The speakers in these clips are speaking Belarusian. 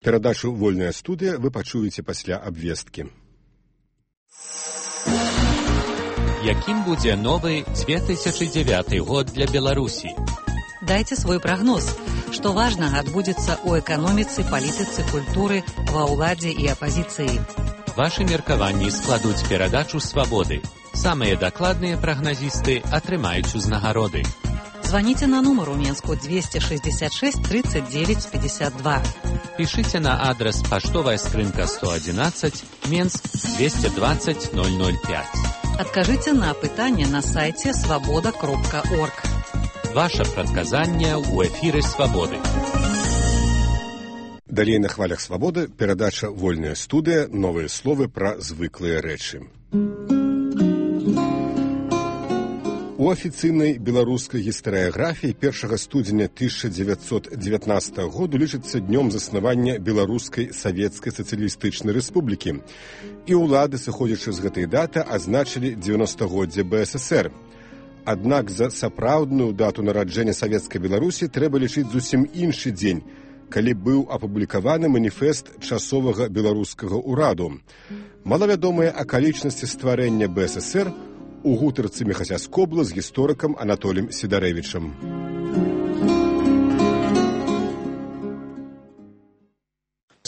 Перадачу «Вольная студия» вы пачуеце пасля абвесткі. Якім будзе новы 2009 год для Беларусі? Дайце свой прагноз. Што важнага адбудзецца ў эканоміцы, палітыцы, культуры, ва ўладзе і апазіцыі. Вашы меркаванні складуць перадачу «Свабоды». Самыя дакладныя прагназісты атрымаюць узнагароды. Званіце на нумар у Менску 266 39 52. Пішыце на адрас паштовая скрынка 111, Менск 220 005. Адкажыце на пытанне на сайце свабода.орг. Ваше прадказанне ў эфіры «Свабоды». Далей на хвалях «Свабоды» перадача «Вольная студия», новыя словы пра звыклыя рэчы. У афіцыйнай беларускай гістарыяграфіі 1 студзеня 1919 году лічыцца днём заснавання Беларускай Савецкай Сацыялістычнай Рэспублікі. І ўлады, сыходзячы з гэтай даты, азначылі 90-годдзе БССР. Аднак за сапраўдную дату нараджэння Савецкай Беларусі трэба лічыць зусім іншы дзень, калі быў апублікаваны маніфест часовага беларускага ўраду. Малавядомыя акалічнасці стварэння БССР у гутарцы Міхася Скобла з гісторыкам Анатоліем Сідарэвічам.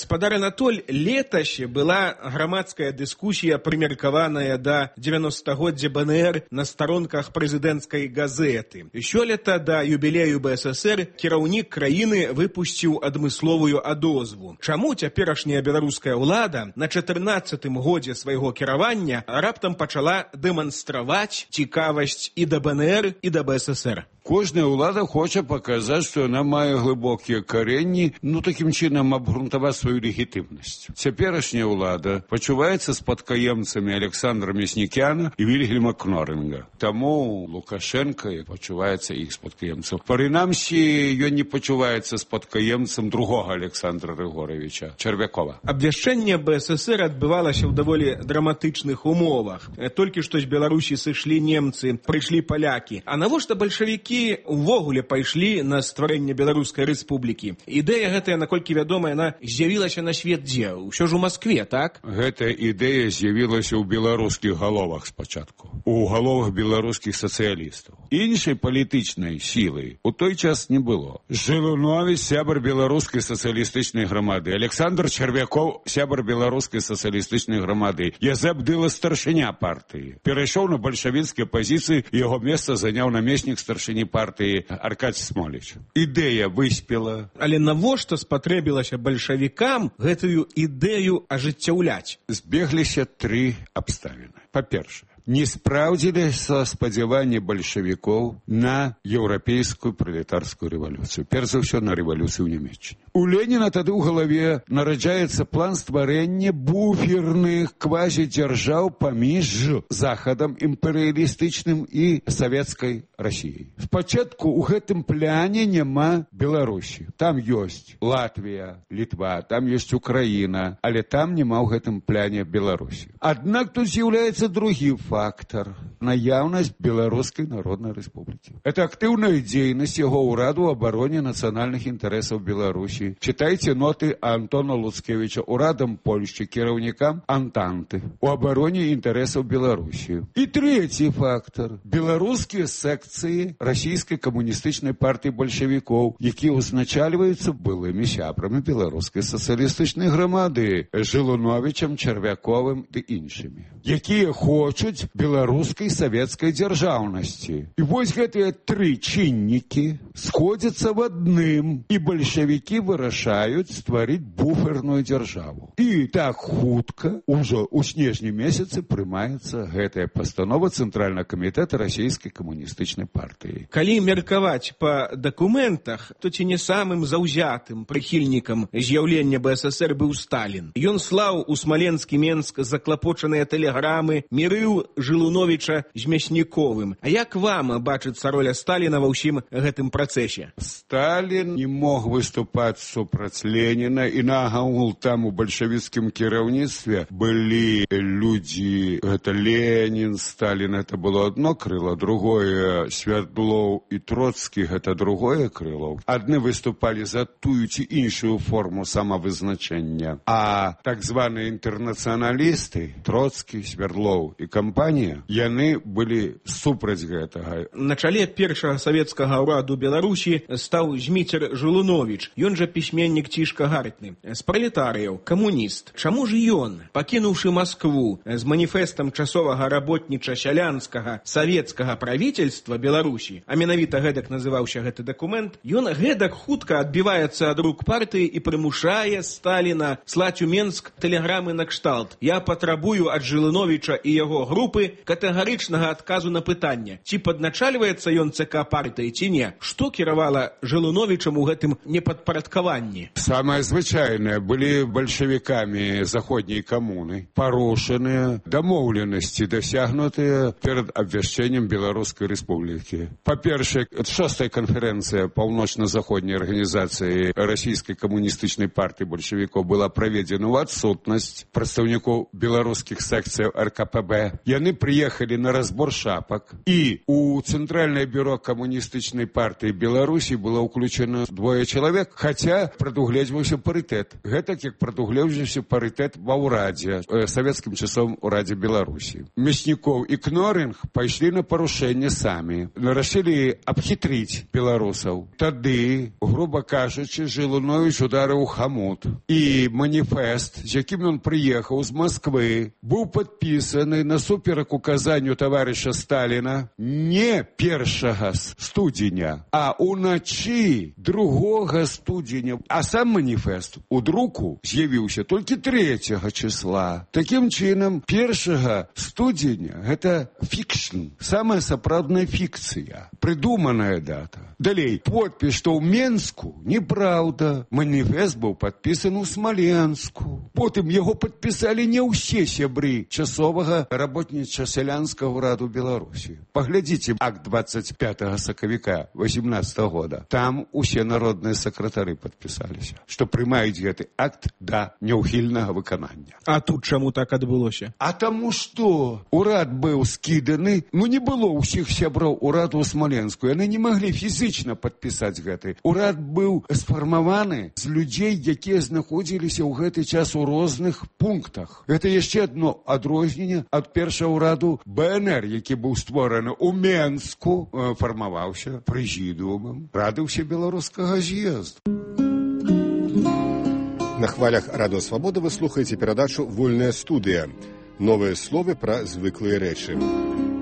Гаспадар Анатоль, летась была грамадская дыскусія, прымеркаваная да 90-годдзя БНР на старонках прэзідэнцкай газеты. Сёлета да юбілею БССР кіраўнік краіны выпусціў адмысловую адозву. Чаму цяперашняя беларуская ўлада на 14-м годзе свайго кіравання раптам пачала дэманстраваць цікавасць і да БНР, і да БССР? Кожная ўлада хоча паказаць, што яна мае глыбокія каренні, такім чынам абгрунтаваць сваю легітымнасць. Цяперашняя ўлада пачуваецца спадкаемцамі Александра Мяснікяна і Вільгельма Кнорінга. Таму Лукашенко пачуваецца іх спадкаемцам. Прынамсі, ён не пачуваецца спадкаемцам другога Александра Григоровича Чарвякова. Абвяшчэнне БССР адбывалася ў даволі драматычных умовах. Толькі што з Беларусі сышлі немцы, прыйшлі палякі. А навошта бальшавікі увогуле пайшлі на стварэнне Беларускай рэспублікі? Ідэя гэтая, наколькі вядома, яна з'явілася на свет дзе? Усё ж у Маскве, так? Гэтая ідэя з'явілася ў беларускіх галовах спачатку, у галовах беларускіх сацыялістаў. Іншай палітычнай сілы у той час не было. Жылунович, сябар беларускай сацыялістычнай грамады, Александр Чарвяков, сябар беларускай сацыялістычнай грамады, Язэп Дыла, старшыня партыі. Перайшоў на бальшавіцкія пазіцыі, яго месца заняў намеснік старшыні партыі Аркадзь Смоліч. Ідэя выспела. Але навошта спатрэбілася бальшавікам гэтую ідэю ажыццяўляць? Збегліся тры абставіны. Па-першае, не спраўдзіліся спадзяванні бальшавікоў на еўрапейскую пралетарскую рэвалюцыю. Перш за ўсё, на рэвалюцыю ў Нямецчыне. У Леніна тады ў галаве нараджаецца план стварэння буферных квазідзяржаў паміж Захадам імперыялістычным і савецкай Расіяй. Спачатку ў гэтым пляне няма Беларусі. Там ёсць Латвія, Літва, там ёсць Украіна, але там няма ў гэтым пляне Беларусі. Аднак тут з'яўляецца другі фактор – наяўнасць Беларускай Народнай Рэспублікі. Это актыўная дзейнасць яго ўраду ў абароне нацыянальных інтарэсаў Беларусі. Чытайце ноты Антона Луцкевіча ўрадам Польшчы, кіраўнікам Антанты у абароне інтарэсаў Беларусі. І трэці фактор – беларускія секцыі расійскай камуністычнай партыі бальшавікоў, якія узначальваюцца былымі сябрамі беларускай сацыялістычнай грамады Жылуновичам, Чарвяковым ды іншымі, якія хочуць беларускай савецкай дзяржаўнасці. І вось гэтыя тры чыннікі сходзяцца в адным, і бальшавікі вырашаюць стварыць буферную дзяржаву. І так хутка, ужо ў снежні месяцы, прымаецца гэтая пастанова Цэнтральнага камітэта расійскай камуністычнай партыі. Калі меркаваць па дакументах, то ці не самым заўзятым прыхільнікам з'яўлення БССР быў Сталін. Ён слаў у Смаленскі Менск заклапочаныя тэлеграмы, мірыў Жылуновіча з Мясніковым. А як вам бачыцца роля Сталіна ва ўсім гэтым працэсе? Сталін не мог выступаць супраць Леніна, і нагагул там у бальшавіцкім кіраўніцтве былі людзі, гэта Ленін, Сталін, гэта было одно крыло, другое Свердлоў і Троцкі, гэта другое крыло. Адны выступалі за тую ці іншую форму самавызначэння, а так званыя інтэрнацыяналісты, Троцкі, Свердлоў і кампанія, яны былі супраць гэтага. На чале першага савецкага ўраду Беларусі стаў Зміцер Жылуновіч. Ён жа пісьменнік цішка гартны. З пралетарыяў, камуніст. Чаму ж ён, пакінуўшы Маскву з маніфестам часовага работніча-сялянскага савецкага правительства Беларусі, а менавіта гэтак называўся гэты дакумент, ён гэтак хутка адбіваецца ад рук партыі і прымушае Сталіна слаць у Менск тэлеграмы на кшталт: «Я патрабую ад Жылуновіча і яго групы катэгарычнага адказу на пытанне, ці падначальваецца ён ЦК партыі, ці не». Што кіравала Жылуновічам у гэтым непадпарадкаванні? Самае звычайнае, былі бальшавікамі заходняй камуны парушаныя дамоўленасці, дасягнутыя перад абвяшчэннем Беларускай Рэспублікі. Па-першае, 6-я канферэнцыя паўночна-заходняй арганізацыі расійскай камуністычнай партыі бальшавікоў была праведзена ў адсутнасць прадстаўнікоў беларускіх секцыяў РКПБ. Яны прыехалі на разбор шапак, і у Цэнтральнае бюро камуністычнай партыі Беларусі было ўключена 2 чалавек, хаця прадугледжваўся парытэт. Гэтак як прадугледжваўся парытэт ва ўрадзе, савецкім часом урадзе Беларусі. Мяснікоў і Кноринг пайшлі на парушэнне самі, рашылі абхітрыць беларусаў. Тады, груба кажучы, Жылуновіч ударыў хамут, і маніфест, з якім ён прыехаў з Масквы, быў падпісаны насуперак указанню таварыша Сталіна не 1 студзеня, а уначы 2 студзеня. А сам маніфест у друку з'явіўся толькі 3 числа. Такім чынам, 1 студзеня гэта фікшн, самая сапраўдная фікцыя, прыдуманая дата. Далей, подпіс, што ў Менску, неправда. Маніфест быў падпісаны ў Смаленску. Потым яго падпісалі не ўсе сябры часовага работніча-сялянскага ўраду Беларусі. Паглядзіце акт 25 сакавіка 18 года. Там усе народныя сакратары падпісаліся, што прымаюць гэты акт да няўхільнага выканання. А тут чаму так адбылося? А таму што урад быў скіданы, не было ўсіх сяброў ураду ў Смаленску. Яны не маглі фізічна падпісаць гэты. Урад быў сфармаваны з людзей, якія знаходзіліся ў гэты час у розных пунктах. Гэта яшчэ адно адрозненне ад першага ўраду БНР, які быў створаны ў Менску, фармаваўся прэзідыумам Рады ўсебеларускага з'езду. На хвалях Радыё Свабода вы слухаеце перадачу «Вольная студыя». Новыя словы пра звыклыя рэчы.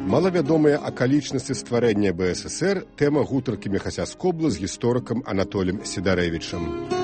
Малавядомыя акалічнасці стварэння БССР – тэма гутаркі Міхася Скобла з гісторыкам Анатолем Сідарэвічам.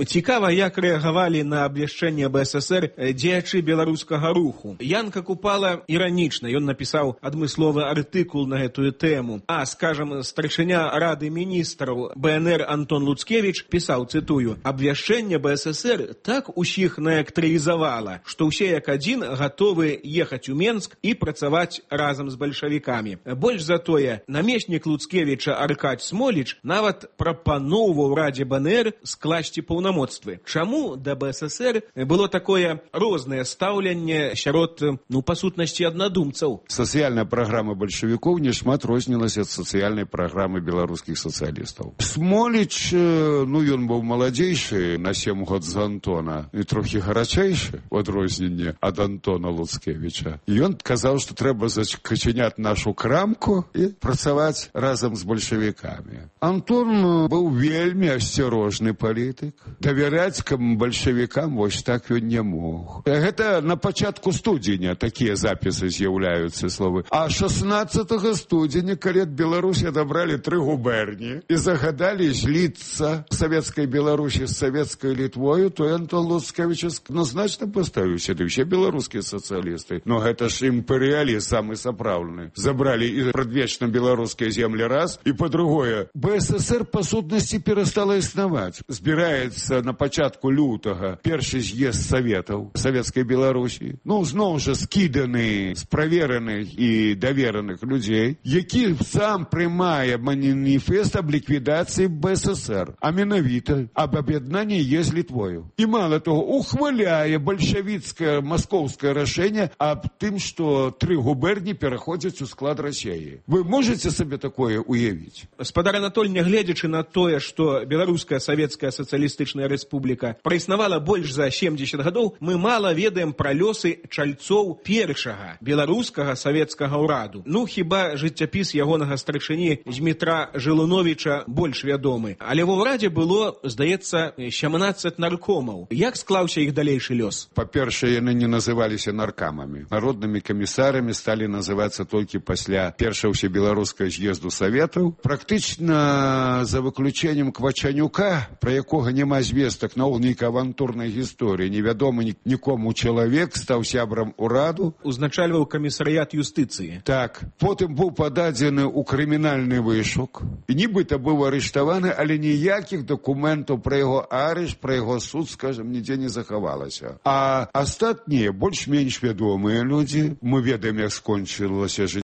Цікава, як рэагавалі на абвяшчэнне БССР дзеячы беларускага руху. Янка Купала іранічна, ён напісаў адмысловы артыкул на гэтую тэму. А, скажам, старшыня Рады міністраў БНР Антон Луцкевіч пісаў, цытую: «Абвяшчэнне БССР так усіх наэлектрызавала, што ўсе як адзін гатовы ехаць у Менск і працаваць разам з бальшавікамі. Больш за тое, намеснік Луцкевіча Аркадзь Смоліч нават прапаноўваў Радзе БНР скласці паўнамоцтвы. Чаму да БССР было такое рознае стаўленне сярод, па сутнасці, аднадумцаў? Сацыяльная праграма бальшавікоў нешмат рознілася ад сацыяльнай праграмы беларускіх сацыялістаў. Смоліч, ён быў маладзейшы на 7 год з Антона і трохі гарачэйшы у адрозненне ад Антона Луцкевіча. Ён казаў, што трэба зачыняць нашу крамку і працаваць разам з бальшавікамі. Антон быў вельмі асцярожны палітык. давяраць бальшавікам вось так ён не мог. Гэта на пачатку студзеня такія запісы з'яўляюцца словы. А 16 студзеня, калі ад Беларусі адабралі 3 губерні і загадалі зліцца савецкай Беларусі з савецкай Літвою, то Антон Луцкевіч значна паставіў сюды ўсе беларускія сацыялісты. Но гэта ж імперыялізм самы сапраўдны. Забралі і прадвечна беларускія землі раз, і па-другое, БССР па сутнасці перастала існаваць. Збіраецца на пачатку лютага першы з'езд саветаў савецкай Беларусі. Ну, зноў жа скіданы з правераных і давераных людзей, які сам прымае маніфест аб ліквідацыі БССР, а менавіта аб аб'яднанні з Літвою. І мала того, ухваляе бальшавіцкае маскоўскае рашэнне аб тым, што 3 губерні пераходзяць у склад Расіі. Вы можете сабе такое уявіць? Спадар Анатоль, нягледзячы на тое, што Беларуская Савецкая Сацыялістычная Рэспубліка праіснавала больш за 70 гадоў, мы мала ведаем пра лёсы чальцоў першага беларускага савецкага ўраду. Ну, хіба жыццяпіс ягонага старшыні Змітра Жылуновіча больш вядомы. Але ва ўрадзе было, здаецца, 17 наркомаў. Як склаўся іх далейшы лёс? Па-першае, яны не называліся наркамамі. Народнымі камісарамі сталі называцца толькі пасля першага ўсебеларускага з'езду саветаў. Практычна за выключэннем Квачанюка, пра якога няма звестак на нейкай авантурнай гісторыі, невядомы нікому чалавек стаў сябрам ураду. Узначальваў камісарыят юстыцыі. Так. Потым быў пададзены ў крымінальны вышук. І нібыта быў арыштаваны, але ніякіх дакументаў пра яго арышт, пра яго суд, скажем, нідзе не захавалася. А астатнія, больш-менш вядомыя людзі, мы ведаем, як скончылася жыццё